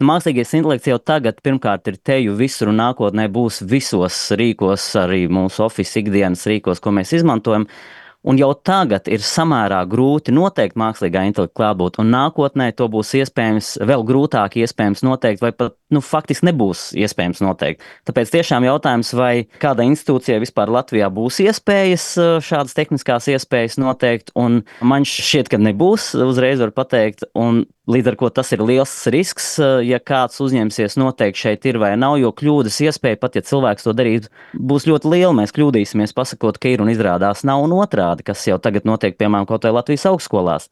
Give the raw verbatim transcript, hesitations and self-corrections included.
Mākslīgais intelekts jau tagad pirmkārt ir teju visur un nākotnē būs visos rīkos, arī mūsu Office ikdienas rīkos, ko mēs izmantojam. Un jau tagad ir samērā grūti noteikt mākslīgā intelekta klātbūtni, un nākotnē to būs iespējams, vēl grūtāk iespējams noteikt, vai pat nu, faktiski nebūs iespējams noteikt. Tāpēc tiešām jautājums, vai kāda institūcija vispār Latvijā būs iespējas šādas tehniskās iespējas noteikt, un man šķiet, ka nebūs, uzreiz var pateikt, un līdz ar ko tas ir liels risks, ja kāds uzņemsies noteikt šeit ir vai nav, jo kļūdas iespēja, pat ja cilvēks to darīt, būs ļoti liela. Mēs kļūdīsimies pasakot, ka ir un izrādās nav un otrādi, kas jau tagad notiek, piemēram, kaut vai Latvijas augstskolās.